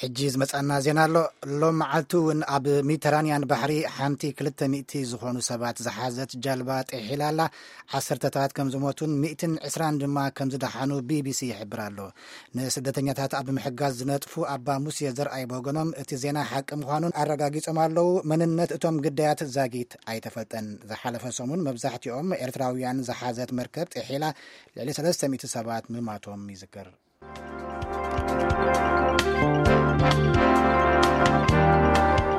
ሕጂ ዝመጻና ዜና ኣሎ። ሎም መዓልቲ እውን ኣብ ሜዲተራንያን ባሕሪ ሓንቲ ክልተ ሚእቲ ዝኾኑ ሰባት ዝሓዘት ጃልባ ጥሒላ ኣላ። ዓሰርተታት ከም ዝሞቱን ሚእትን ዕስራን ድማ ከም ዝደሓኑ ቢቢሲ ይሕብር ኣሎ። ንስደተኛታት ኣብ ምሕጋዝ ዝነጥፉ ኣባ ሙሴ ዘርኣይ ብወገኖም እቲ ዜና ሓቂ ምዃኑን ኣረጋጊጾም ኣለዉ። መንነት እቶም ግዳያት ዛጊት ኣይተፈልጠን። ዝሓለፈ ሰሙን መብዛሕትኦም ኤርትራውያን ዝሓዘት መርከብ ጥሒላ ልዕሊ ሰለስተ ሚእቲ ሰባት ምማቶም ይዝከር።